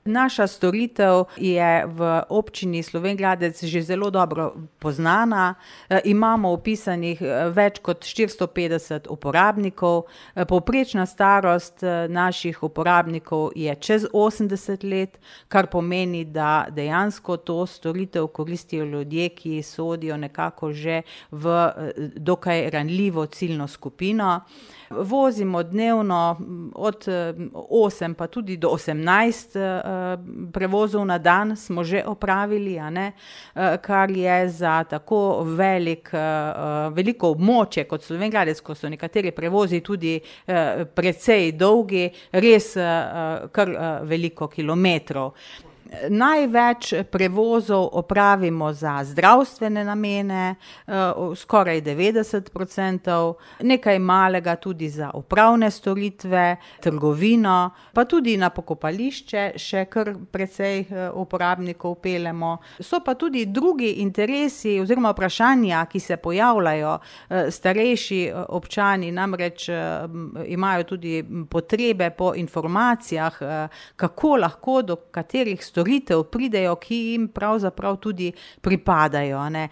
Naša storitev je v občini Slovenj Gradec že zelo dobro poznana. Imamo vpisanih več kot 450 uporabnikov. Povprečna starost naših uporabnikov je čez 80 let, kar pomeni, da dejansko to storitev koristijo ljudje, ki sodijo nekako že v dokaj ranljivo ciljno skupino. Vozimo dnevno od 8 pa tudi do 18 prevozov na dan smo že opravili, a ne, kar je za tako veliko območje kot Slovenj Gradec, ko so nekateri prevozi tudi precej dolgi, res kar veliko kilometrov. Največ prevozov opravimo za zdravstvene namene, skoraj 90%, nekaj malega tudi za upravne storitve, trgovino, pa tudi na pokopališče še kar precej uporabnikov peljemo. So pa tudi drugi interesi oziroma vprašanja, ki se pojavljajo. Starejši občani namreč imajo tudi potrebe po informacijah, kako lahko do katerih storitev pridejo, ki jim pravzaprav tudi pripadajo, ne.